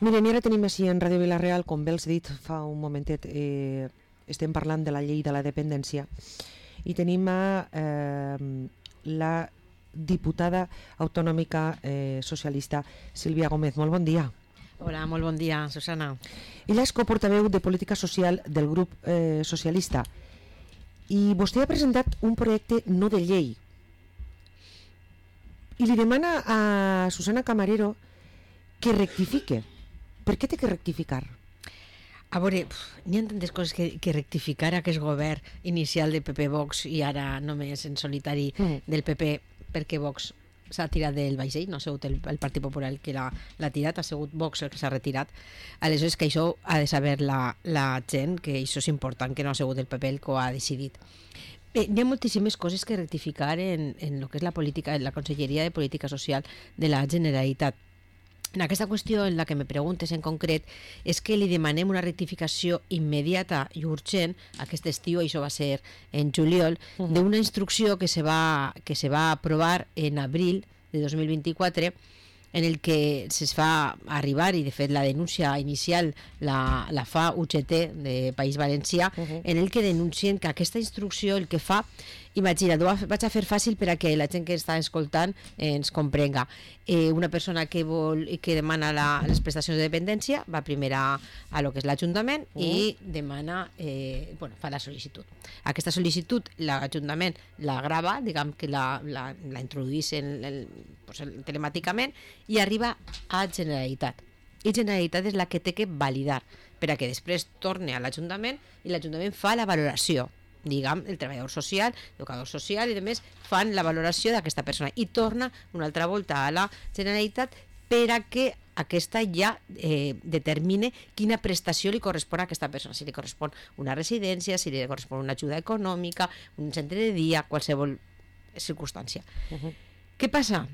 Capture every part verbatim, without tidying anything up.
Miren, i ara tenim així en Ràdio Vila-real, com bé els he dit fa un momentet, eh, estem parlant de la llei de la dependència i tenim a eh, la diputada autonòmica eh, socialista Sílvia Gómez. Molt bon dia. Hola, molt bon dia, Susana. Ella és coportaveu de política social del grup eh, socialista i vostè ha presentat un projecte no de llei i li demana a Susana Camarero que rectifique. Per què té que rectificar? A veure, n'hi ha tantes coses que, que rectificar aquest govern inicial de P P Vox i ara només en solitari mm. del P P, perquè Vox s'ha tirat del vaixell, no ha sigut el, el Partit Popular que l'ha tirat, ha sigut Vox el que s'ha retirat. Aleshores que això ha de saber la, la gent, que això és important, que no ha sigut el P P el que ho ha decidit. Bé, hi ha moltíssimes coses que rectificar en, en el que és la política, en la Conselleria de Política Social de la Generalitat. En aquesta qüestió, en la que me preguntes en concret, és que li demanem una rectificació immediata i urgent aquest estiu, això va ser en juliol, uh-huh. d'una instrucció que se va, que se va aprovar en abril de dos mil vint-i-quatre, en el que se fa arribar, i de fet la denúncia inicial la, la fa U G T de País Valencià, uh-huh. en el que denuncien que aquesta instrucció el que fa, imagina't, ho vaig a fer fàcil per a que la gent que està escoltant ens comprenga. Eh, una persona que vol que demana la, les prestacions de dependència va primer a, a lo que és l'Ajuntament uh-huh. i demana, eh, bueno, fa la sol·licitud. Aquesta sol·licitud l'Ajuntament la grava, diguem que la, la, la introduís en el, pues, el, telemàticament i arriba a Generalitat. I Generalitat és la que té que validar per a que després torni a l'Ajuntament i l'Ajuntament fa la valoració. Diguem, el treballador social, l'educador social i demés fan la valoració d'aquesta persona i torna una altra volta a la Generalitat per a que aquesta ja eh, determine quina prestació li correspon a aquesta persona, si li correspon una residència, si li correspon una ajuda econòmica, un centre de dia, qualsevol circumstància. Uh-huh. Què passa?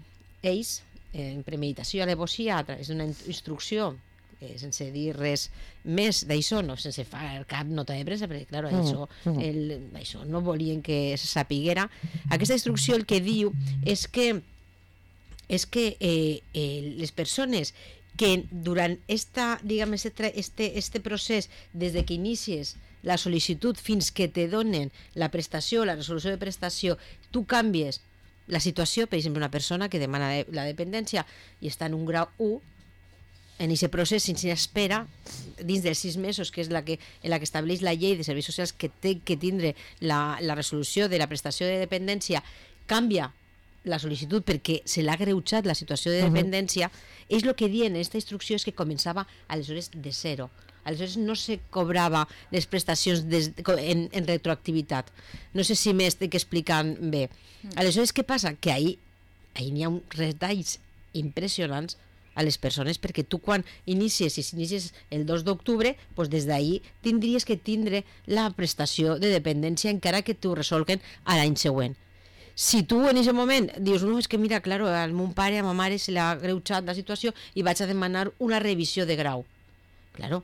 Ells, en premeditació i alevosía, a través d'una instrucció Eh, sense dir res més d'això, no, sense fer cap nota de pressa, perquè clar, mm, això, mm. el, això no volien que se sapiguera. Aquesta instrucció el que diu és que és que eh, eh, les persones que durant esta, diguem, este, este, este procés, des de que inicies la sol·licitud fins que te donen la prestació, la resolució de prestació, tu canvies la situació, per exemple, una persona que demana la dependència i està en un grau u, en aquest procés, sense espera, dins dels sis mesos, que és la que, en la que estableix la llei de serveis socials que té que tindre la, la resolució de la prestació de dependència, canvia la sol·licitud perquè se l'ha greujat la situació de dependència, uh-huh. és el que diuen en aquesta instrucció és que començava aleshores de zero. Aleshores no se cobrava les prestacions des, en, en retroactivitat. No sé si m'estic explicant bé. Aleshores, què passa? Que ahir, ahir n'hi ha uns retalls impressionants a les persones, perquè tu quan inicies, si inicies el dos d'octubre, doncs des d'ahir tindries que tindre la prestació de dependència encara que t'ho resolguen a l'any següent. Si tu en aquest moment dius, no, és que mira, claro, al meu pare, a ma mare se l'ha greujat la situació i vaig a demanar una revisió de grau. Claro,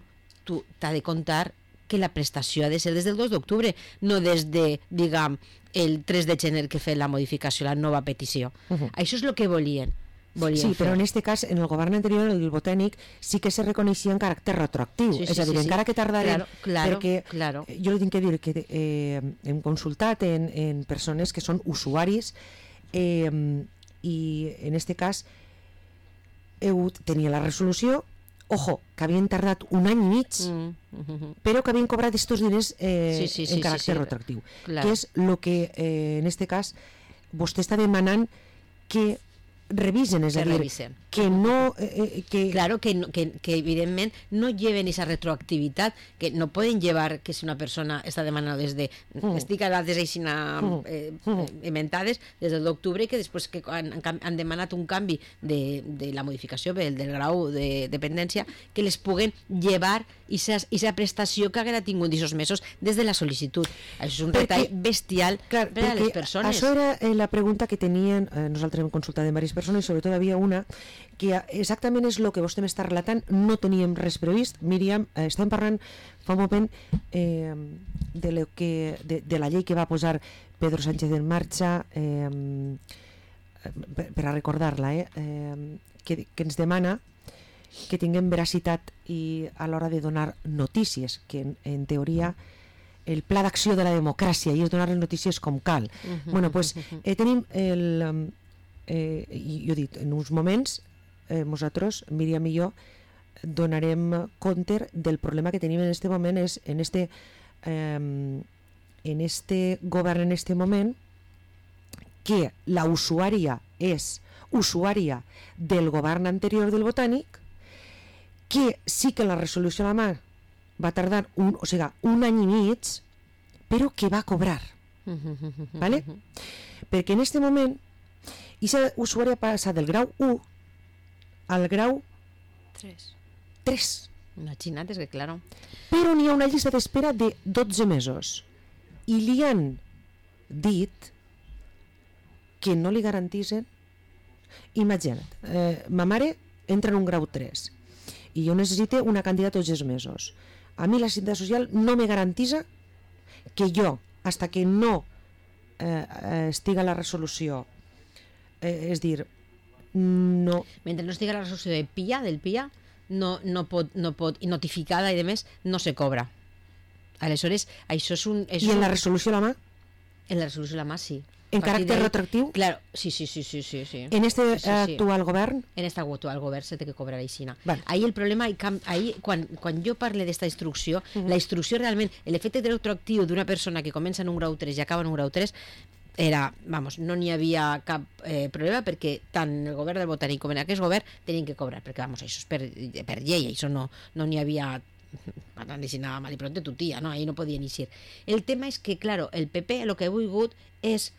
tu t'ha de contar que la prestació ha de ser des del dos d'octubre, no des de, diguem, el tres de gener que fer la modificació, la nova petició. Uh-huh. Això és el que volien. Sí, fer. Però en aquest cas, en el govern anterior, el botènic, sí que se reconeixia en caràcter retroactiu, sí, sí, és a dir, sí, encara sí. que tardarem, claro, claro, perquè claro. jo li tinc que dir que eh, hem consultat en, en persones que són usuaris eh, i en aquest cas heu, tenia la resolució, ojo, que havien tardat un any i mig, mm, mm-hmm. però que havien cobrat estos diners eh, sí, sí, sí, en caràcter sí, sí. retroactiu, claro. que és el que eh, en aquest cas vostè està demanant que revisen, és a dir, revisen. que no eh, que... claro, que, no, que, que evidentment no lleven esa retroactivitat, que no poden llevar que si una persona està demanant des de mm. estic a dades aixina eh, mm. inventades des del d'octubre, que després que han, han demanat un canvi de, de la modificació del, del grau de dependència, que les puguen llevar aquesta prestació que haguera tingut aquests mesos des de la sol·licitud. Això és un retall bestial clar, per a les persones. Això era eh, la pregunta que tenien, eh, nosaltres hem consultat de diverses persones i sobretot havia una que exactament és el que vostè m'està relatant, no teníem res previst. Míriam, eh, estàvem parlant fa un moment eh, de, lo que, de, de la llei que va posar Pedro Sánchez en marxa eh, per, per a recordar-la eh, eh, que, que ens demana que tinguem veracitat i a l'hora de donar notícies, que en, en teoria el pla d'acció de la democràcia i és donar les notícies com cal. Uh-huh, bueno, pues, eh, tenim el... Eh, jo he dit, en uns moments eh, nosaltres, Míriam i jo, donarem compte del problema que tenim en este moment, és en este, eh, en este govern, en este moment, que la usuària és usuària del govern anterior del Botànic, que sí que la resolució a la mà va tardar un, o sigui, un any i mig, però que va cobrar. ¿Vale? Perquè en este moment aquesta usuària passa del grau u al grau tres. Imagina't, és que claro. Però n'hi ha una llista d'espera de dotze mesos i li han dit que no li garantisen. Imagina't, eh, ma mare entra en un grau tres i jo necessito una cantidad tots els mesos. A mi la Seguretat Social no me garantisa que jo, hasta que no eh, estiga la resolució, eh, és dir, no... Mentre no estiga la resolució de P I A, del P I A, no, no pot, no pot, i notificada i de més, no se cobra. Aleshores, això és un... És I en un... la resolució a la mà? En la resolució a la mà, sí. En caràcter retroactiu? Claro, sí, sí, sí, sí, sí, sí. En este sí, sí, actual sí. govern? En este actual govern se té que cobrar aixina. Vale. Ahí el problema, ahí, quan, quan jo parle d'esta instrucció, uh -huh. la instrucció realment, l'efecte retroactiu d'una persona que comença en un grau tres i acaba en un grau tres, era, vamos, no n'hi havia cap eh, problema perquè tant el govern del Botànic com en aquest govern tenien que cobrar, perquè, vamos, això és per, per llei, això no no n'hi havia para nada mal y pronto tu tía, no, ahí no podien eixir. El tema és que, claro, el P P el que ha volgut és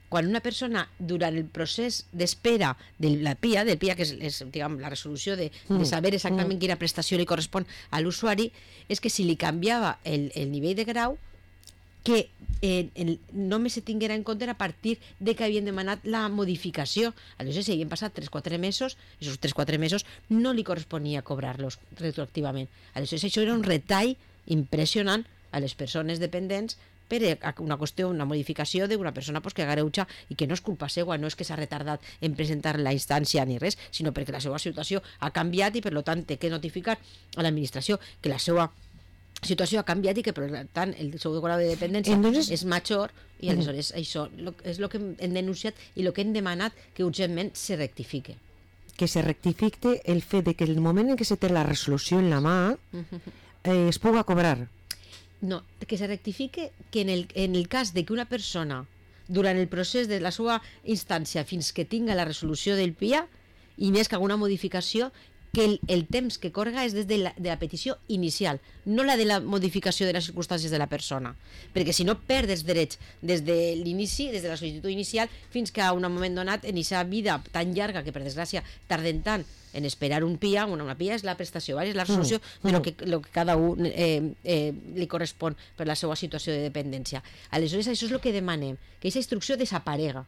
quan una persona, durant el procés d'espera de la P I A, del P I A, que és, és diguem, la resolució de, de saber exactament quina prestació li correspon a l'usuari, és que si li canviava el, el nivell de grau, que eh, el, només se tinguera en compte a partir de que havien demanat la modificació. Aleshores, si havien passat tres o quatre mesos, aquests tres o quatre mesos no li corresponia cobrar-los retroactivament. Aleshores, això era un retall impressionant a les persones dependents per una qüestió, una modificació d'una persona pues, que agreuja i que no és culpa seva, no és que s'ha retardat en presentar la instància ni res, sinó perquè la seva situació ha canviat i per tant té que notificar a l'administració que la seva situació ha canviat i que per tant el seu grau de dependència Entonces... és major i aleshores uh -huh. això és el que hem denunciat i el que hem demanat que urgentment se rectifique. Que se rectifique el fet de que el moment en què se té la resolució en la mà eh, es puga cobrar. No, que se rectifique que en el, en el cas de que una persona durant el procés de la seva instància fins que tinga la resolució del P I A i n'hi que alguna modificació, que el, el temps que corga és des de la, de la petició inicial, no la de la modificació de les circumstàncies de la persona, perquè si no perdes drets des de l'inici, des de la sol·licitud inicial fins que a un moment donat en aquesta vida tan llarga que per desgràcia tarden tant en esperar un P I A, una, una P I A és la prestació, ¿vale? És la resolució mm. de lo que, lo que cada un eh, eh, li correspon per la seva situació de dependència. Aleshores, això és el que demanem, que aquesta instrucció desaparega,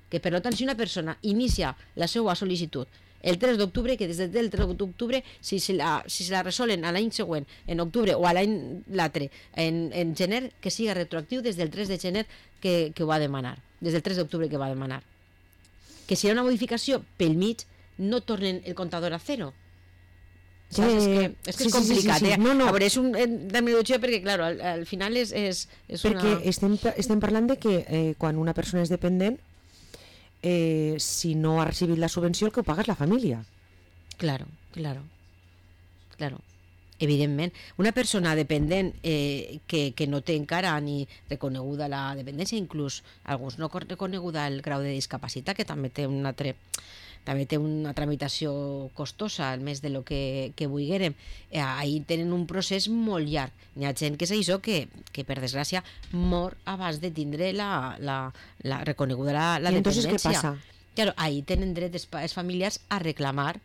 que per tant si una persona inicia la seva sol·licitud el tres d'octubre, que des del tres d'octubre, si se la, si se la resolen a l'any següent, en octubre, o a l'any l'altre, en, en gener, que siga retroactiu des del tres de gener que, que ho va demanar, des del tres d'octubre que va demanar. Que si hi ha una modificació pel mig, no tornen el comptador a zero. Sí, és que és, que és sí, complicat, sí, sí, sí. Eh? No, no. A veure, és un terminologia perquè, clar, al, al final és, és, és perquè una... Perquè estem, estem parlant de que eh, quan una persona és dependent, Eh, si no ha recibit la subvenció el que ho paga és la família. Claro, claro, claro. Evidentment, una persona dependent eh, que, que no té encara ni reconeguda la dependència, inclús alguns no reconeguda el grau de discapacitat, que també té un altre també té una tramitació costosa, al més de lo que, que vulguérem. Eh, ahí tenen un procés molt llarg. N'hi ha gent que és això que, que per desgràcia mor abans de tindre la, la, la reconeguda la, la I dependència. I entonces què passa? Claro, ahí tenen dret els familiars a reclamar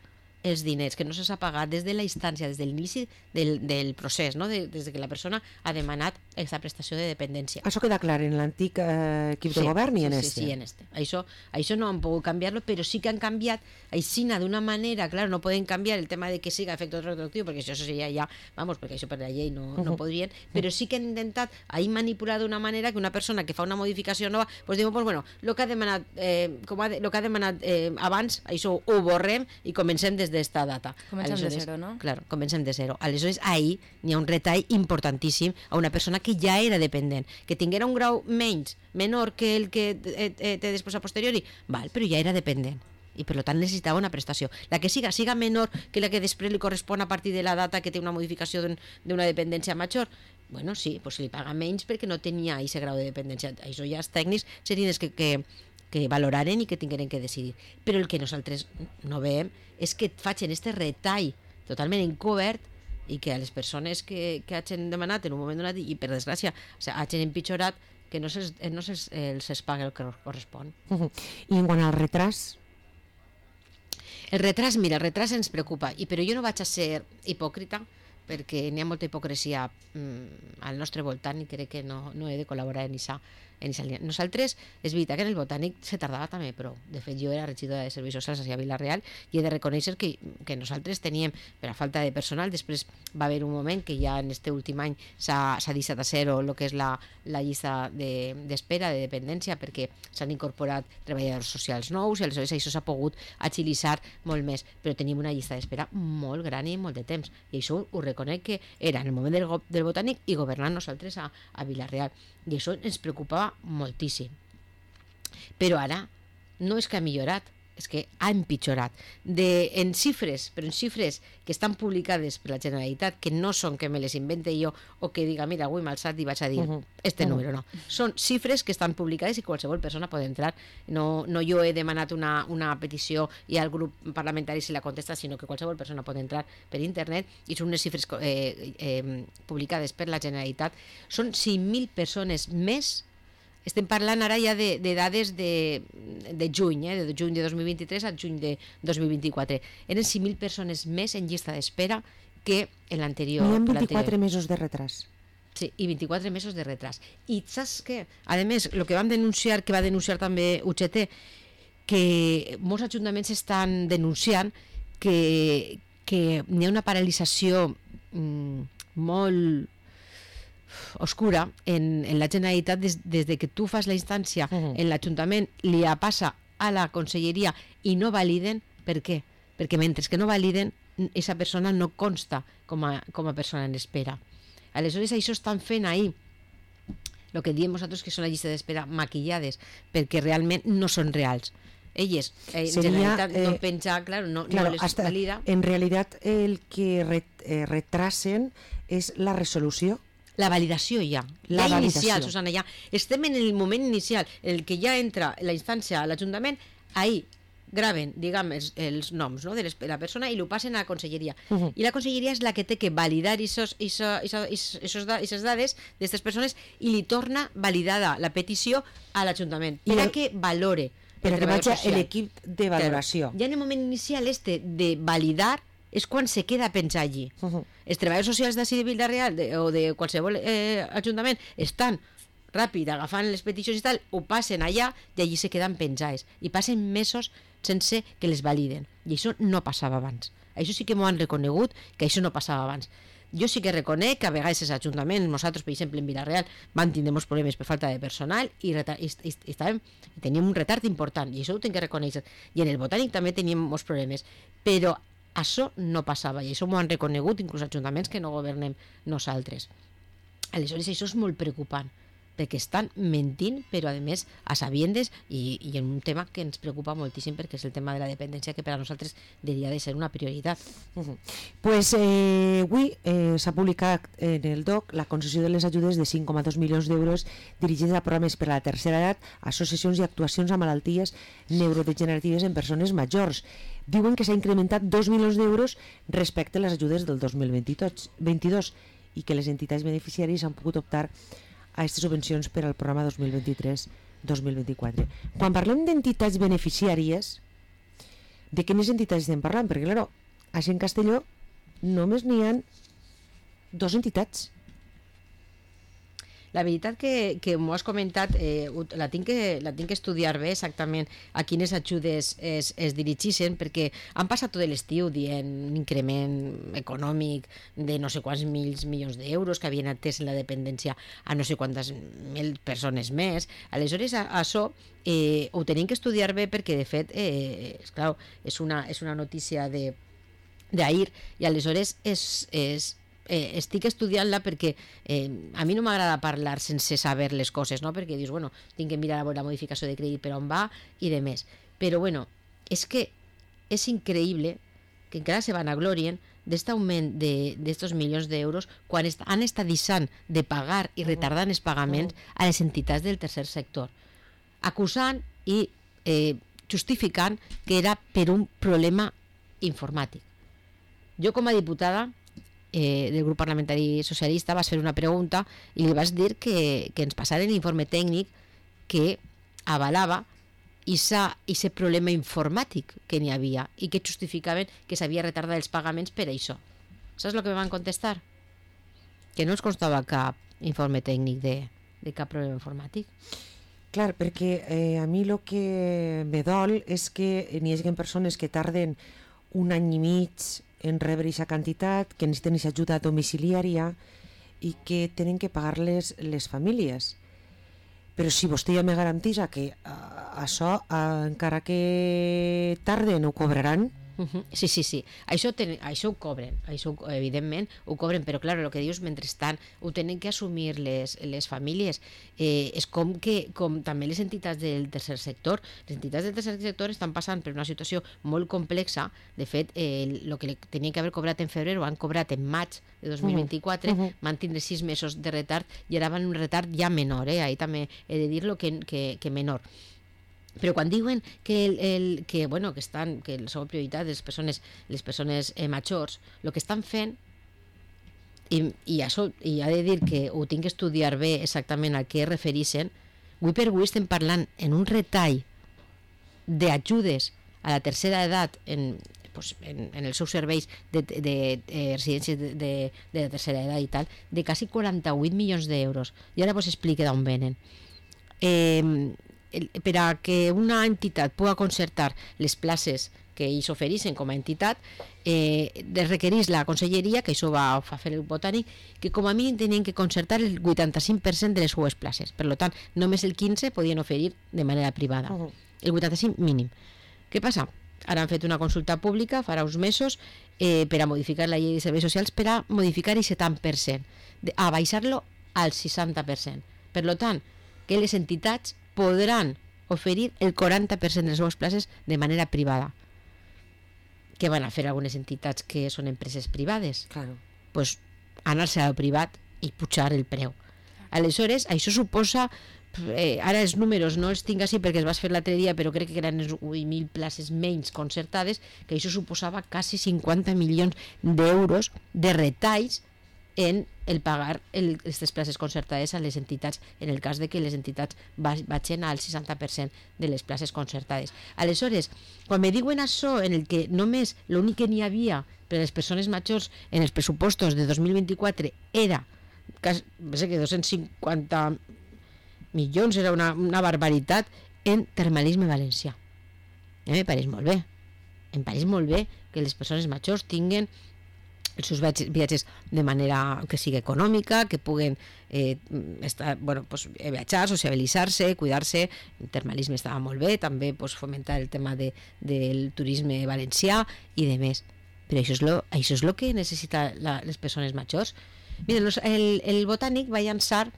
els diners que no s'ha pagat des de la instància, des de l'inici del, del procés, no? de, des de que la persona ha demanat aquesta prestació de dependència. Això queda clar en l'antic eh, equip sí, de govern i en sí, este. Sí, sí, en este. Això, això no han pogut canviar-lo, però sí que han canviat aixina d'una manera, clar, no poden canviar el tema de que siga efecte retroactiu, perquè això seria ja, vamos, perquè això per la llei no, uh -huh. no podrien, però sí que han intentat ahí manipular d'una manera que una persona que fa una modificació nova, pues diu, pues bueno, lo que ha demanat, eh, com ha de, lo que ha demanat eh, abans, això ho borrem i comencem des de d'esta data. Comencem de zero, no? Claro, comencem de zero. Aleshores, ahí n'hi ha un retall importantíssim a una persona que ja era dependent, que tinguera un grau menys, menor que el que té després a posteriori, val, però ja era dependent i per tant necessitava una prestació. La que siga, siga menor que la que després li correspon a partir de la data que té una modificació d'una dependència major, bueno, sí, pues li paga menys perquè no tenia aquest grau de dependència. Això ja els tècnics serien els que, que, que valoraren i que tingueren que decidir. Però el que nosaltres no veiem és que facin este retall totalment encobert i que a les persones que, que hagin demanat en un moment donat i per desgràcia o sigui, hagin empitjorat que no se'ls no se els es paga el que correspon. Uh -huh. I en quant al retras? El retras, mira, el retras ens preocupa, i però jo no vaig a ser hipòcrita perquè n'hi ha molta hipocresia mm, al nostre voltant i crec que no, no he de col·laborar en aquesta en línia. Nosaltres, és veritat que en el Botànic se tardava també, però de fet jo era regidora de Serveis Socials a Vila-real i he de reconèixer que, que nosaltres teníem, per a falta de personal, després va haver un moment que ja en este últim any s'ha deixat a zero el que és la, la llista d'espera, de, de dependència, perquè s'han incorporat treballadors socials nous i aleshores això s'ha pogut agilitzar molt més, però teníem una llista d'espera molt gran i molt de temps, i això ho reconec que era en el moment del, del Botànic i governant nosaltres a, a Vila-real, i això ens preocupava moltíssim. Però ara no és que ha millorat, és que ha empitjorat. De, en xifres, però en xifres que estan publicades per la Generalitat, que no són que me les invente jo o que diga, mira, avui m'he alçat i vaig a dir uh -huh. este uh -huh. número, no. Són xifres que estan publicades i qualsevol persona pot entrar. No, no jo he demanat una, una petició i al grup parlamentari se la contesta, sinó que qualsevol persona pot entrar per internet i són unes xifres eh, eh, publicades per la Generalitat. Són cinc mil persones més. Estem parlant ara ja de, de dades de, de juny, eh? de juny de dos mil vint-i-tres a juny de dos mil vint-i-quatre. Eren cinc mil persones més en llista d'espera que en l'anterior. Hi ha vint-i-quatre mesos de retras. Sí, i vint-i-quatre mesos de retras. I saps què? A més, el que vam denunciar, que va denunciar també U G T, que molts ajuntaments estan denunciant que, que hi ha una paralització mm, molt oscura en, en la Generalitat des, des de que tu fas la instància uh -huh. en l'Ajuntament, li passa a la Conselleria i no validen. Per què? Perquè mentre que no validen, aquesta persona no consta com a, com a persona en espera. Aleshores això estan fent ahir el que diem nosaltres que són la llista d'espera maquillades, perquè realment no són reals. Elles, en Sería, Generalitat eh, no penja, claro, no, claro, no les hasta, valida. En realitat el que ret, eh, retrasen és la resolució. La validació ja, la ja validació. inicial, Susana, ja estem en el moment inicial, el que ja entra la instància a l'Ajuntament, ahir graven, diguem, els, els noms, no, de les, la persona i ho passen a la Conselleria. Uh -huh. I la Conselleria és la que té que validar aquestes dades d'aquestes persones i li torna validada la petició a l'Ajuntament per a que valore. Per que vagi l'equip de valoració. Ja en el moment inicial este de validar és quan se queda a pensar allí. Uh -huh. Els treballadors socials d'ací de Vila-real de, o de qualsevol eh, ajuntament estan ràpid agafant les peticions i tal, ho passen allà i allí se queden penjats. I passen mesos sense que les validen. I això no passava abans. Això sí que m'ho han reconegut, que això no passava abans. Jo sí que reconec que a vegades els ajuntaments, nosaltres, per exemple, en Vila-real, van tindre molts problemes per falta de personal i, i, i, i estàvem, teníem un retard important, i això ho tinc que reconèixer. I en el Botànic també teníem molts problemes. Però això no passava, i això m'ho han reconegut inclús ajuntaments que no governem nosaltres. Aleshores, això és molt preocupant, perquè estan mentint, però a més a sabiendes, i, i en un tema que ens preocupa moltíssim, perquè és el tema de la dependència, que per a nosaltres hauria de ser una prioritat. Uh -huh. Pues eh, avui eh, s'ha publicat en el D O C la concessió de les ajudes de cinc coma dos milions d'euros dirigides a programes per a la tercera edat, associacions i actuacions a malalties neurodegeneratives en persones majors. Diuen que s'ha incrementat dos milions d'euros respecte a les ajudes del dos mil vint-i-dos i que les entitats beneficiàries han pogut optar a aquestes subvencions per al programa dos mil vint-i-tres dos mil vint-i-quatre. Quan parlem d'entitats beneficiàries, de quines entitats estem parlant? Perquè, clar, així en Castelló només n'hi ha dues entitats. La veritat que, que m'ho has comentat, eh, la, tinc que, la tinc que estudiar bé exactament a quines ajudes es, es dirigeixen, perquè han passat tot l'estiu dient un increment econòmic de no sé quants mils milions d'euros que havien atès en la dependència a no sé quantes mil persones més. Aleshores, a, a això eh, ho tenim que estudiar bé perquè, de fet, eh, és, clar, és, una, és una notícia de d'ahir, i aleshores és, és, eh, estic estudiant-la perquè eh, a mi no m'agrada parlar sense saber les coses, no? Perquè dius, bueno, tinc que mirar la modificació de crèdit per on va i de més. Però bueno, és que és increïble que encara se vanaglorien d'aquest augment d'estos milions d'euros quan est han estat deixant de pagar i retardant els pagaments a les entitats del tercer sector, acusant i eh, justificant que era per un problema informàtic. Jo, com a diputada eh, del grup parlamentari socialista, vaig fer una pregunta i li vaig dir que, que ens passaren l'informe tècnic que avalava aquest problema informàtic que n'hi havia i que justificaven que s'havia retardat els pagaments per això. Saps el que me van contestar? Que no ens constava cap informe tècnic de, de cap problema informàtic. Clar, perquè eh, a mi el que me dol és que n'hi hagi persones que tarden un any i mig en rebre aquesta quantitat, que necessiten aquesta ajuda domiciliària i que tenen que pagar-les les famílies. Però si vostè ja me garantisa que uh, això, uh, encara que tarden, ho cobraran. Uh-huh. Sí, sí, sí. Això, ten, això ho cobren, això evidentment ho cobren, però clar, el que dius, mentrestant ho tenen que assumir les, les famílies. Eh, és com que com també les entitats del tercer sector. Les entitats del tercer sector estan passant per una situació molt complexa. De fet, eh, el que tenien que haver cobrat en febrer ho han cobrat en maig de dos mil vint-i-quatre, uh-huh. van tindre sis mesos de retard i ara van un retard ja menor, eh? Ahí també he de dir-lo que, que, que menor. Però quan diuen que, el, el, que, bueno, que, estan, que la seva prioritat les persones, les persones eh, majors, el que estan fent, i, i això i ha de dir que ho tinc que estudiar bé exactament a què es refereixen, avui per avui estem parlant en un retall d'ajudes a la tercera edat en, pues, en, en els seus serveis de, de, de, de residències de, de, de la tercera edat i tal, de quasi quaranta-vuit milions d'euros. I ara vos explique d'on venen. Eh... Per a que una entitat pugui concertar les places que ells ofereixen com a entitat, eh, requereix la conselleria, que això va a fer el Botànic, que com a mínim tenien que concertar el vuitanta-cinc per cent de les seues places. Per tant, només el quinze per cent podien oferir de manera privada. Uh-huh. El vuitanta-cinc mínim. Què passa? Ara han fet una consulta pública, farà uns mesos, eh, per a modificar la llei de serveis socials, per a modificar el setanta per cent, a baixar-lo al seixanta per cent. Per tant, que les entitats podran oferir el quaranta per cent de les seves places de manera privada. Què van a fer algunes entitats que són empreses privades? Claro. Pues anar-se al privat i pujar el preu. Aleshores, això suposa, eh, ara els números no els tinc així perquè els vas fer l'altre dia, però crec que eren vuit mil places menys concertades, que això suposava quasi cinquanta milions d'euros de retalls en el pagar aquestes places concertades a les entitats, en el cas de que les entitats vagin al seixanta per cent de les places concertades. Aleshores, quan me diuen això, en el que només l'únic que n'hi havia per a les persones majors en els pressupostos de dos mil vint-i-quatre era quasi, sé que dos-cents cinquanta milions, era una, una barbaritat, en termalisme valencià. A mi me pareix molt bé. Em pareix molt bé que les persones majors tinguen els seus viatges de manera que sigui econòmica, que puguen eh, estar, bueno, pues, viatjar, sociabilitzar-se, cuidar-se. El termalisme estava molt bé, també pues, fomentar el tema de, del turisme valencià i de més. Però això és lo, això és lo que necessita la, les persones majors. Miren, el, el Botànic va llançar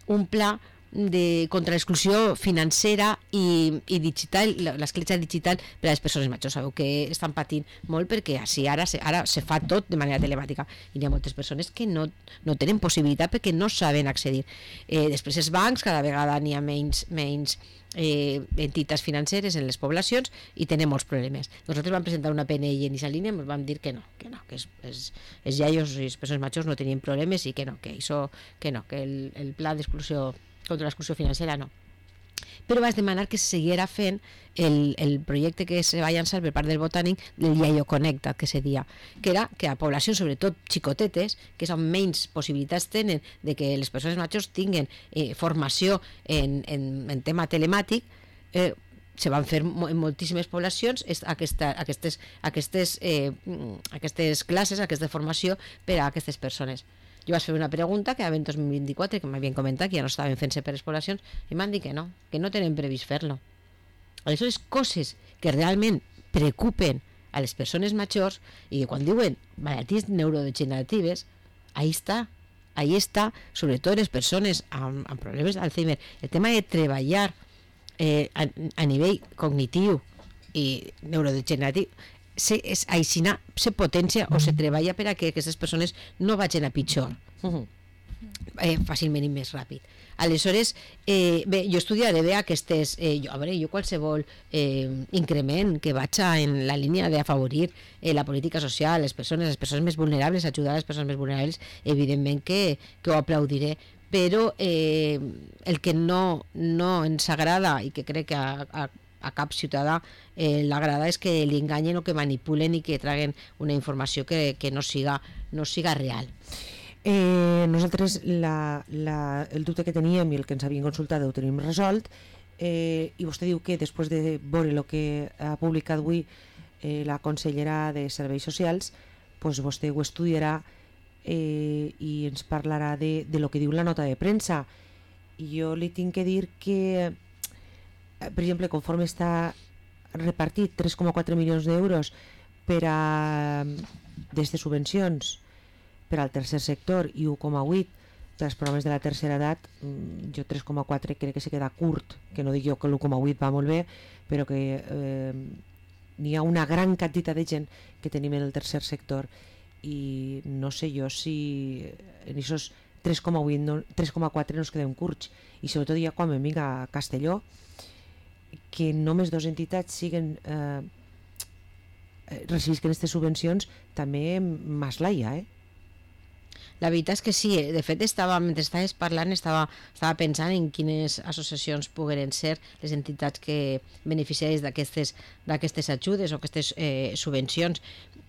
un pla de, contra l'exclusió financera i, i digital, l'escletxa digital per a les persones majors. Sabeu que estan patint molt perquè així ara se, ara se fa tot de manera telemàtica i hi ha moltes persones que no, no tenen possibilitat perquè no saben accedir. Eh, després els bancs, cada vegada n'hi ha menys, menys eh, entitats financeres en les poblacions i tenen molts problemes. Nosaltres vam presentar una P N I en aquesta línia i ens vam dir que no, que no, que els, els, els iaios i les persones majors no tenien problemes i que no, que això, que no, que el, el pla d'exclusió contra l'exclusió financera no. Però vaig demanar que se seguira fent el, el projecte que se va llançar per part del Botànic del Iaio Connectat, que se dia, que era que a poblacions, sobretot xicotetes, que són menys possibilitats tenen de que les persones majors tinguen eh, formació en, en, en tema telemàtic, eh, se van fer en moltíssimes poblacions aquesta, aquestes, aquestes, eh, aquestes classes, aquesta formació per a aquestes persones. Jo vaig fer una pregunta que en dos mil vint-i-quatre, que m'havien comentat que ja no estaven fent-se per les poblacions, i m'han dit que no, que no tenen previst fer-lo. Aleshores, coses que realment preocupen a les persones majors, i quan diuen malalties neurodegeneratives, ahí està, ahí està, sobretot les persones amb, amb problemes d'Alzheimer. El tema de treballar eh, a, a nivell cognitiu i neurodegeneratiu, se, és, aixina, se potència o se treballa per a que aquestes persones no vagin a pitjor. Uh-huh. Eh, fàcilment i més ràpid. Aleshores, eh, bé, jo estudiaré bé aquestes, eh, jo, a veure, jo qualsevol eh, increment que vaig en la línia d'afavorir eh, la política social, les persones, les persones més vulnerables, ajudar a les persones més vulnerables, evidentment que, que ho aplaudiré, però eh, el que no, no ens agrada i que crec que a, a, a cap ciutadà eh, l'agrada és que li enganyen o que manipulen i que traguen una informació que, que no siga, no siga real. Eh, nosaltres la, la, el dubte que teníem i el que ens havien consultat ho tenim resolt, eh, i vostè diu que després de veure el que ha publicat avui eh, la consellera de Serveis Socials, pues vostè ho estudiarà eh, i ens parlarà de, de lo que diu la nota de premsa. I jo li tinc que dir que, per exemple, conforme està repartit tres coma quatre milions d'euros per a des de subvencions per al tercer sector i u coma vuit per als programes de la tercera edat, jo tres coma quatre crec que se queda curt, que no dic jo que l'u coma vuit va molt bé, però que eh, n'hi ha una gran quantitat de gent que tenim en el tercer sector i no sé jo si en aquests tres coma vuit, no, tres coma quatre no ens quedem curts, i sobretot ja quan em vinc a Castelló, que només dues entitats siguen eh, recibisquen aquestes subvencions, també Maslaia, eh? La veritat és que sí, de fet estava, mentre estaves parlant estava, estava pensant en quines associacions pogueren ser les entitats que beneficiaris d'aquestes d'aquestes ajudes o aquestes eh, subvencions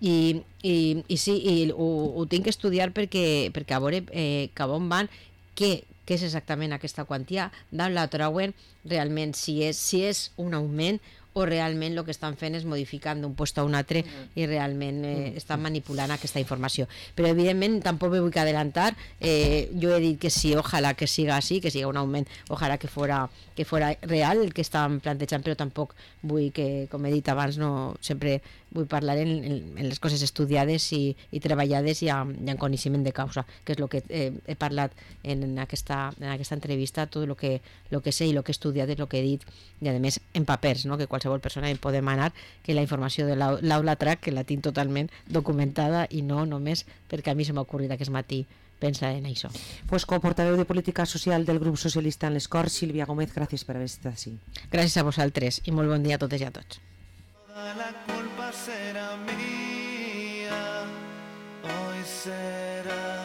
i, i, i sí, i ho, ho tinc que estudiar perquè, perquè a veure eh, cap on van, què, què és exactament aquesta quantia, d'on la trauen realment, si és, si és un augment o realment el que estan fent és modificant d'un lloc a un altre i realment eh, estan manipulant aquesta informació. Però evidentment tampoc me vull adelantar, eh, jo he dit que sí, ojalà que siga així, que siga un augment, ojalà que fora, que fora real el que estan plantejant, però tampoc vull que, com he dit abans, no sempre vull parlar en, en, en les coses estudiades i, i treballades i amb, i amb coneixement de causa, que és el que eh, he parlat en, en, aquesta, en aquesta entrevista, tot el que, lo que sé i el que he estudiat és el que he dit, i a més en papers, no? Que qualsevol persona hi pot demanar, que la informació de l'Aula Track, que la tinc totalment documentada i no només perquè a mi se m'ha ocorrit aquest matí pensar en això. Pues com portaveu de Política Social del Grup Socialista en les Corts, Sílvia Gómez, gràcies per haver estat així. Gràcies a vosaltres i molt bon dia a totes i a tots. La culpa será mía, hoy será